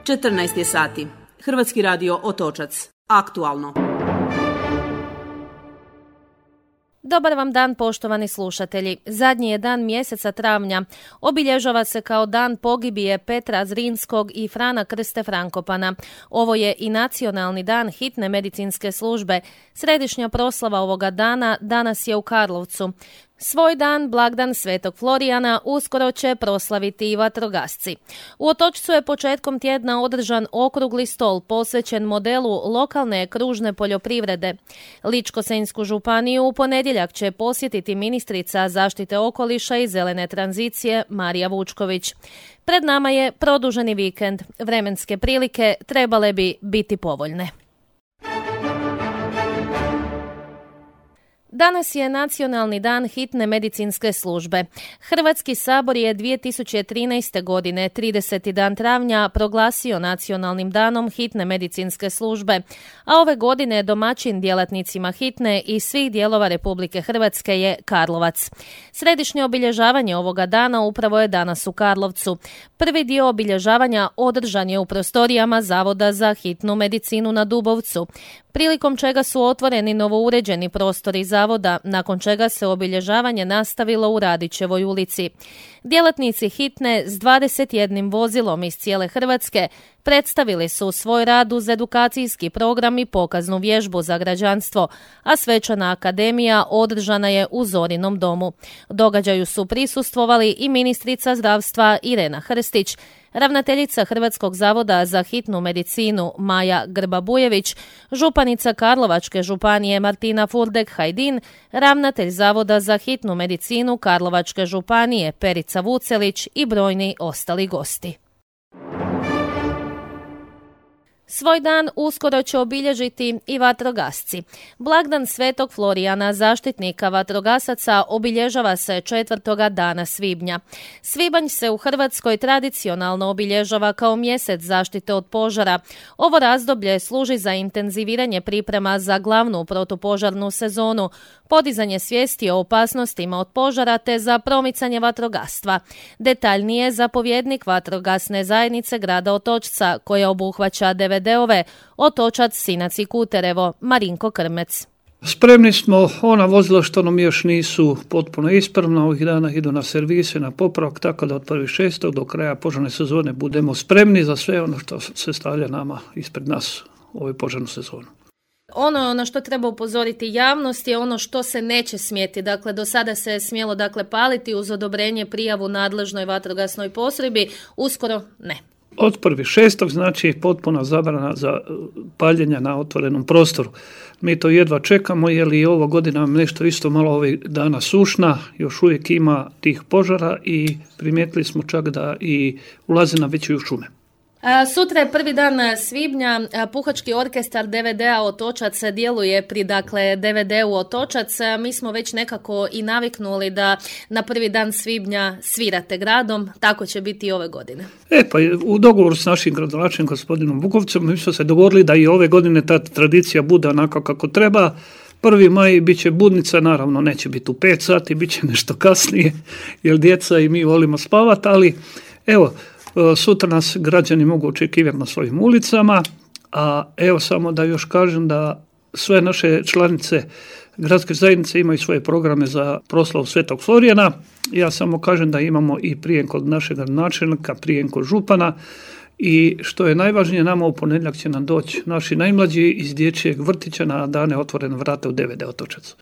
14 je sati. Hrvatski radio Otočac. Aktualno. Dobar vam dan, poštovani slušatelji. Zadnji je dan mjeseca travnja. Obilježava se kao dan pogibije Petra Zrinskog i Frana Krste Frankopana. Ovo je i nacionalni dan hitne medicinske službe. Središnja proslava ovoga dana danas je u Karlovcu. Svoj dan, blagdan Svetog Florijana, uskoro će proslaviti i vatrogasci. U Otočcu je početkom tjedna održan okrugli stol posvećen modelu lokalne kružne poljoprivrede. Ličko-senjsku županiju u ponedjeljak će posjetiti ministrica zaštite okoliša i zelene tranzicije Marija Vučković. Pred nama je produženi vikend. Vremenske prilike trebale bi biti povoljne. Danas je nacionalni dan hitne medicinske službe. Hrvatski sabor je 2013. godine, 30. dan travnja, proglasio nacionalnim danom hitne medicinske službe, a ove godine domaćin djelatnicima hitne iz svih dijelova Republike Hrvatske je Karlovac. Središnje obilježavanje ovoga dana upravo je danas u Karlovcu. Prvi dio obilježavanja održan je u prostorijama Zavoda za hitnu medicinu na Dubovcu, prilikom čega su otvoreni novouređeni prostori zavoda, nakon čega se obilježavanje nastavilo u Radićevoj ulici. Djelatnici hitne s 21 vozilom iz cijele Hrvatske predstavili su svoj rad uz edukacijski program i pokaznu vježbu za građanstvo, a svečana akademija održana je u Zorinom domu. Događaju su prisustvovali i ministrica zdravstva Irena Hrstić, ravnateljica Hrvatskog zavoda za hitnu medicinu Maja Grba-Bujević, županica Karlovačke županije Martina Furdek-Hajdin, ravnatelj Zavoda za hitnu medicinu Karlovačke županije Perica Vucelić i brojni ostali gosti. Svoj dan uskoro će obilježiti i vatrogasci. Blagdan Svetog Florijana, zaštitnika vatrogasaca, obilježava se 4. dana svibnja. Svibanj se u Hrvatskoj tradicionalno obilježava kao mjesec zaštite od požara. Ovo razdoblje služi za intenziviranje priprema za glavnu protupožarnu sezonu, podizanje svijesti o opasnostima od požara te za promicanje vatrogastva. Detaljnije, zapovjednik vatrogasne zajednice grada Otočca, koja obuhvaća DVD-ove Otočac, Sinac i Kuterevo, Marinko Krmec. Spremni smo, ona vozila što nam još nisu potpuno ispravna, ovih dana idu na servise, na popravak, tako da od 1.6. do kraja požarne sezone budemo spremni za sve ono što se stavlja nama ispred nas u ovoj požarnu sezonu. Ono na što treba upozoriti javnost je ono što se neće smjeti. Dakle, do sada se je smjelo paliti uz odobrenje, prijavu nadležnoj vatrogasnoj postrojbi, uskoro ne. Od 1.6. znači potpuna zabrana za paljenja na otvorenom prostoru. Mi to jedva čekamo jer i ovo godina nešto isto malo ovih dana sušna, još uvijek ima tih požara i primijetili smo čak da i ulaze na veće šume. Sutra je prvi dan svibnja, Puhački orkestar DVD-a Otočac djeluje pri DVD-u Otočac. Mi smo već nekako i naviknuli da na prvi dan svibnja svirate gradom, tako će biti i ove godine. Pa u dogovoru s našim gradonačelnikom gospodinom Bukovcem mi smo se dogovorili da i ove godine ta tradicija bude onako kako treba. 1. maj bit će budnica, naravno neće biti u 5 sati, bit će nešto kasnije jer djeca i mi volimo spavati, ali evo, sutra nas građani mogu očekivati na svojim ulicama, a evo samo da još kažem da sve naše članice gradske zajednice imaju svoje programe za proslavu Svetog Florijana. Ja samo kažem da imamo i prijem kod našeg načelnika, prijem kod župana i što je najvažnije, nama u ponedjeljak će nam doći naši najmlađi iz dječjeg vrtića na dane otvorene vrata u DVD Otočac.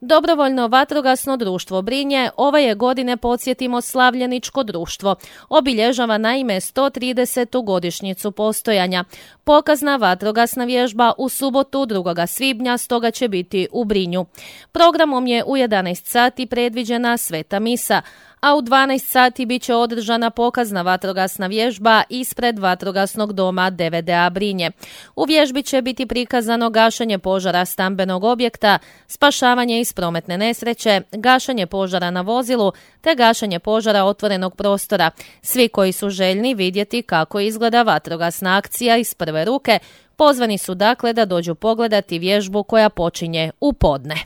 Dobrovoljno vatrogasno društvo Brinje ove je godine, podsjetimo, slavljeničko društvo. Obilježava naime 130. godišnjicu postojanja. Pokazna vatrogasna vježba u subotu 2. svibnja stoga će biti u Brinju. Programom je u 11 sati predviđena sveta misa, a u 12 sati bit će održana pokazna vatrogasna vježba ispred vatrogasnog doma DVD-a Brinje. U vježbi će biti prikazano gašenje požara stambenog objekta, spašavanje iz prometne nesreće, gašenje požara na vozilu te gašenje požara otvorenog prostora. Svi koji su željni vidjeti kako izgleda vatrogasna akcija iz prve ruke, pozvani su dakle da dođu pogledati vježbu koja počinje u podne.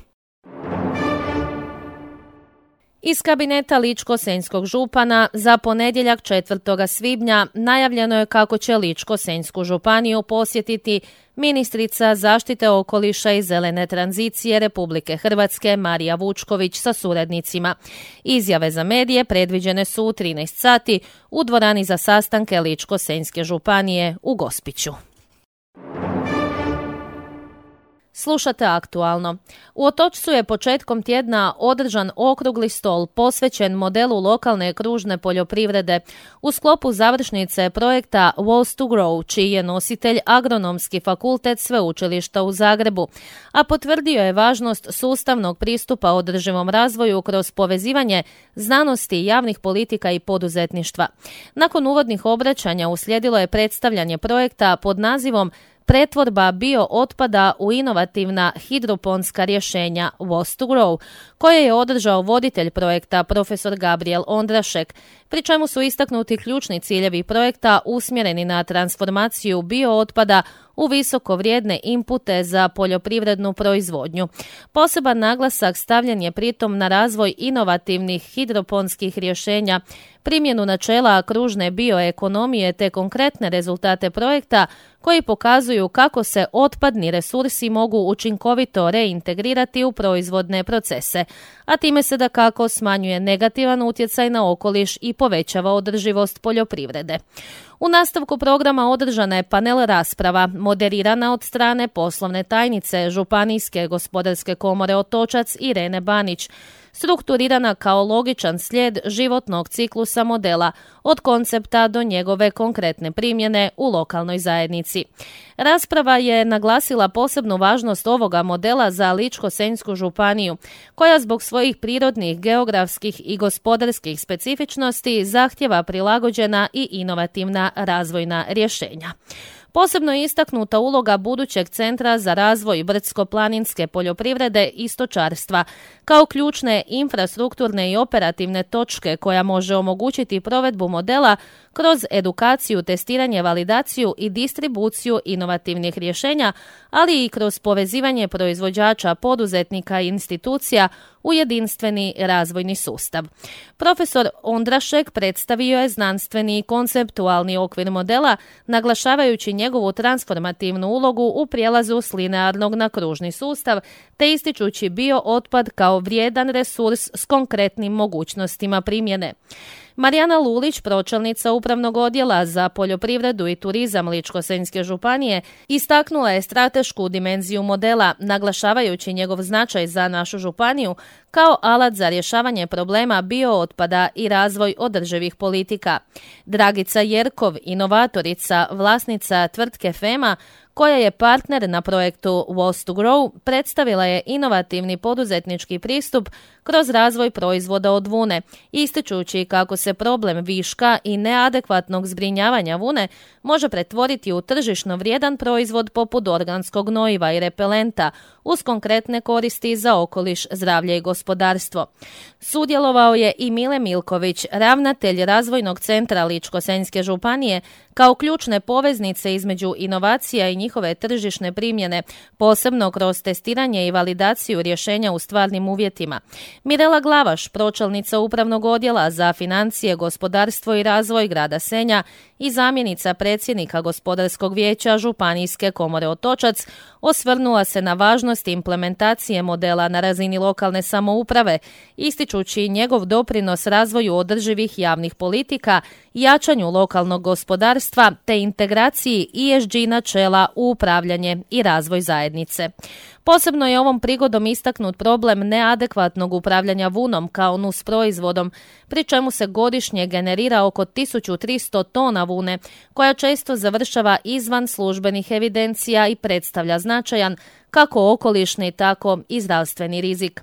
Iz kabineta Ličko-senjskog župana za ponedjeljak 4. svibnja najavljeno je kako će Ličko-senjsku županiju posjetiti ministrica zaštite okoliša i zelene tranzicije Republike Hrvatske Marija Vučković sa suradnicima. Izjave za medije predviđene su u 13 sati u dvorani za sastanke Ličko-senjske županije u Gospiću. Slušate aktualno. U Otočcu je početkom tjedna održan okrugli stol posvećen modelu lokalne kružne poljoprivrede u sklopu završnice projekta Was to Grow, čiji je nositelj Agronomski fakultet Sveučilišta u Zagrebu, a potvrdio je važnost sustavnog pristupa održivom razvoju kroz povezivanje znanosti, javnih politika i poduzetništva. Nakon uvodnih obraćanja uslijedilo je predstavljanje projekta pod nazivom Pretvorba biootpada u inovativna hidroponska rješenja Was to Grow, koje je održao voditelj projekta profesor Gabriel Ondrašek, pri čemu su istaknuti ključni ciljevi projekta usmjereni na transformaciju biootpada u visoko vrijedne inpute za poljoprivrednu proizvodnju. Poseban naglasak stavljen je pritom na razvoj inovativnih hidroponskih rješenja, primjenu načela kružne bioekonomije te konkretne rezultate projekta koji pokazuju kako se otpadni resursi mogu učinkovito reintegrirati u proizvodne procese, a time se dakako smanjuje negativan utjecaj na okoliš i povećava održivost poljoprivrede. U nastavku programa održana je panel rasprava, moderirana od strane poslovne tajnice Županijske gospodarske komore Otočac Irene Banić, strukturirana kao logičan slijed životnog ciklusa modela, od koncepta do njegove konkretne primjene u lokalnoj zajednici. Rasprava je naglasila posebnu važnost ovoga modela za Ličko-senjsku županiju, koja zbog svojih prirodnih, geografskih i gospodarskih specifičnosti zahtjeva prilagođena i inovativna razvojna rješenja. Posebno je istaknuta uloga budućeg centra za razvoj brdsko-planinske poljoprivrede i stočarstva, kao ključne infrastrukturne i operativne točke koja može omogućiti provedbu modela kroz edukaciju, testiranje, validaciju i distribuciju inovativnih rješenja, ali i kroz povezivanje proizvođača, poduzetnika i institucija u jedinstveni razvojni sustav. Profesor Ondrašek predstavio je znanstveni i konceptualni okvir modela, naglašavajući njegovu transformativnu ulogu u prijelazu s linearnog na kružni sustav, te ističući biootpad kao vrijedan resurs s konkretnim mogućnostima primjene. Marijana Lulić, pročelnica Upravnog odjela za poljoprivredu i turizam Ličko-senjske županije, istaknula je stratešku dimenziju modela, naglašavajući njegov značaj za našu županiju kao alat za rješavanje problema biootpada i razvoj održivih politika. Dragica Jerkov, inovatorica, vlasnica tvrtke FEMA, koja je partner na projektu Was to Grow, predstavila je inovativni poduzetnički pristup kroz razvoj proizvoda od vune, ističući kako se problem viška i neadekvatnog zbrinjavanja vune može pretvoriti u tržišno vrijedan proizvod poput organskog gnojiva i repelenta, uz konkretne koristi za okoliš, zdravlje i gospodarstvo. Sudjelovao je i Mile Milković, ravnatelj Razvojnog centra Ličko-senjske županije, kao ključne poveznice između inovacija i njihove tržišne primjene, posebno kroz testiranje i validaciju rješenja u stvarnim uvjetima. Mirela Glavaš, pročelnica Upravnog odjela za financije, gospodarstvo i razvoj grada Senja i zamjenica predsjednika Gospodarskog vijeća Županijske komore Otočac, osvrnula se na važnost implementacije modela na razini lokalne samouprave, ističući njegov doprinos razvoju održivih javnih politika, jačanju lokalnog gospodarstva te integraciji ESG načela u upravljanje i razvoj zajednice. Posebno je ovom prigodom istaknut problem neadekvatnog upravljanja vunom kao nusproizvodom, pri čemu se godišnje generira oko 1300 tona vune, koja često završava izvan službenih evidencija i predstavlja značajan kako okolišni, tako i zdravstveni rizik.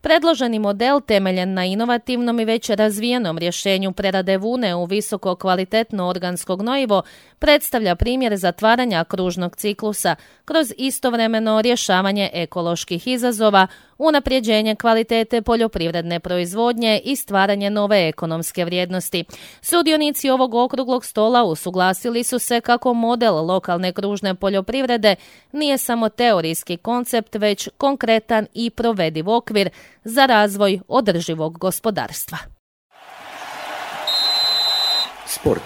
Predloženi model, temeljen na inovativnom i već razvijenom rješenju prerade vune u visoko kvalitetno organsko gnojivo, predstavlja primjer zatvaranja kružnog ciklusa kroz istovremeno rješavanje rješavanje ekoloških izazova, unapređenje kvalitete poljoprivredne proizvodnje i stvaranje nove ekonomske vrijednosti. Sudionici ovog okruglog stola usuglasili su se kako model lokalne kružne poljoprivrede nije samo teorijski koncept, već konkretan i provediv okvir za razvoj održivog gospodarstva. Sport.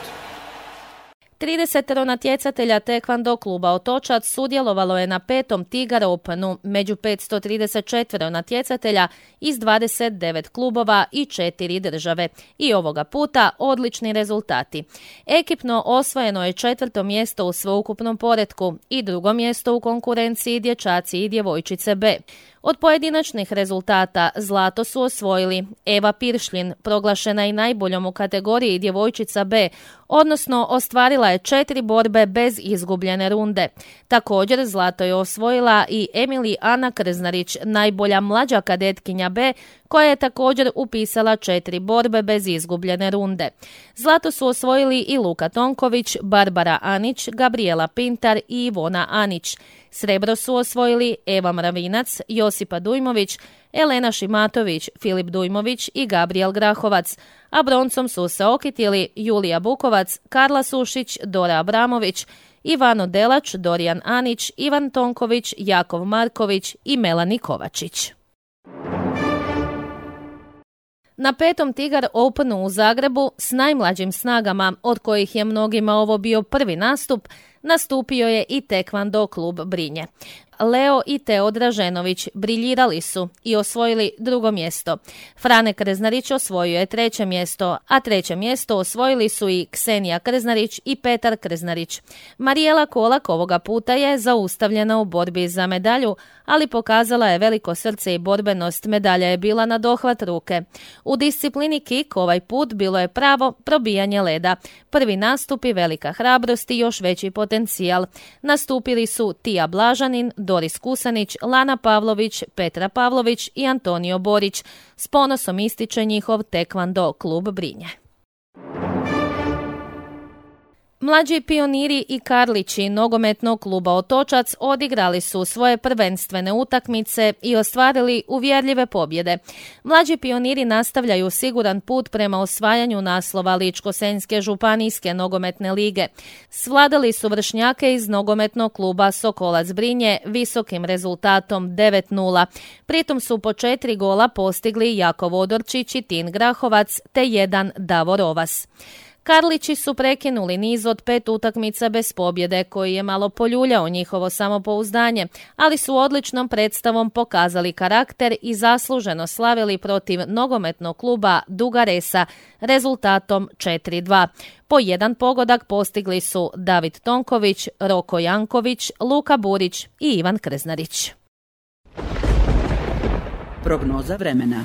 30 natjecatelja Taekwondo kluba Otočac sudjelovalo je na 5. Tigar Openu među 534 natjecatelja iz 29 klubova i 4 države. I ovoga puta odlični rezultati. Ekipno osvojeno je 4. mjesto u sveukupnom poretku i 2. mjesto u konkurenciji dječaci i djevojčice B. Od pojedinačnih rezultata zlato su osvojili Eva Piršljin, proglašena i najboljom u kategoriji djevojčica B, odnosno ostvarila je 4 borbe bez izgubljene runde. Također zlato je osvojila i Emily Ana Krznarić, najbolja mlađa kadetkinja B, koja je također upisala 4 borbe bez izgubljene runde. Zlato su osvojili i Luka Tonković, Barbara Anić, Gabriela Pintar i Ivona Anić. Srebro su osvojili Eva Mravinac, Josipa Dujmović, Elena Šimatović, Filip Dujmović i Gabriel Grahovac, a broncom su se okitili Julija Bukovac, Karla Sušić, Dora Abramović, Ivano Delač, Dorijan Anić, Ivan Tonković, Jakov Marković i Melani Kovačić. Na 5. Tigar Openu u Zagrebu s najmlađim snagama, od kojih je mnogima ovo bio prvi nastup, nastupio je i Taekwondo klub Brinje. Leo i Teo Draženović briljirali su i osvojili 2. mjesto. Frane Krznarić osvojio je 3. mjesto, a 3. mjesto osvojili su i Ksenija Krznarić i Petar Krznarić. Marijela Kolak ovoga puta je zaustavljena u borbi za medalju, ali pokazala je veliko srce i borbenost, medalja je bila na dohvat ruke. U disciplini kik ovaj put bilo je pravo probijanje leda. Prvi nastup i velika hrabrost i još veći potencijal. Nastupili su Tija Blažanin, Doris Kusanić, Lana Pavlović, Petra Pavlović i Antonio Borić. S ponosom ističe njihov Taekwondo klub Brinje. Mlađi pioniri i Karlići nogometnog kluba Otočac odigrali su svoje prvenstvene utakmice i ostvarili uvjerljive pobjede. Mlađi pioniri nastavljaju siguran put prema osvajanju naslova Ličko-senjske županijske nogometne lige. Svladali su vršnjake iz nogometnog kluba Sokolac Brinje visokim rezultatom 9:0. Pritom su po 4 gola postigli Jakov Odorčić i Tin Grahovac te 1 Davor Ovas. Karlići su prekinuli niz od 5 utakmica bez pobjede koji je malo poljuljao njihovo samopouzdanje, ali su odličnom predstavom pokazali karakter i zasluženo slavili protiv nogometnog kluba Duga Resa rezultatom 4:2. Po 1 pogodak postigli su David Tonković, Roko Janković, Luka Burić i Ivan Krznarić. Prognoza vremena.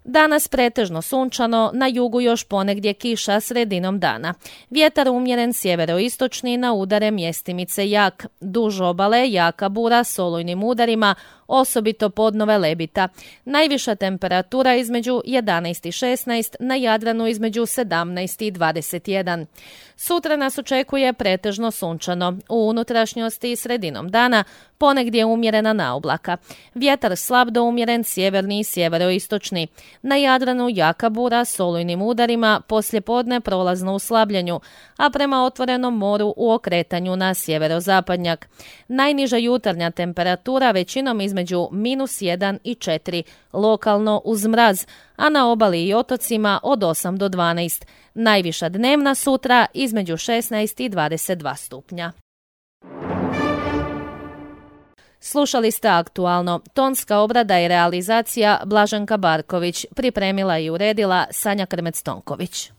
Danas pretežno sunčano, na jugu još ponegdje kiša sredinom dana. Vjetar umjeren sjeveroistočni, na udare mjestimice jak. Duž obale jaka bura s olujnim udarima, osobito podnove Lebita. Najviša temperatura između 11 i 16, na Jadranu između 17 i 21. Sutra nas očekuje pretežno sunčano. U unutrašnjosti i sredinom dana ponegdje umjerena naoblaka. Vjetar slab do umjeren sjeverni i sjeveroistočni. Na Jadranu jaka bura s olujnim udarima, poslijepodne prolazno u slabljenju, a prema otvorenom moru u okretanju na sjeverozapadnjak. Najniža jutarnja temperatura većinom između -1 i 4, lokalno uz mraz, a na obali i otocima od 8 do 12. Najviša dnevna sutra između 16 i 22 stupnja. Slušali ste Aktualno. Tonska obrada i realizacija Blaženka Barković. Pripremila i uredila Sanja Krmec-Tonković.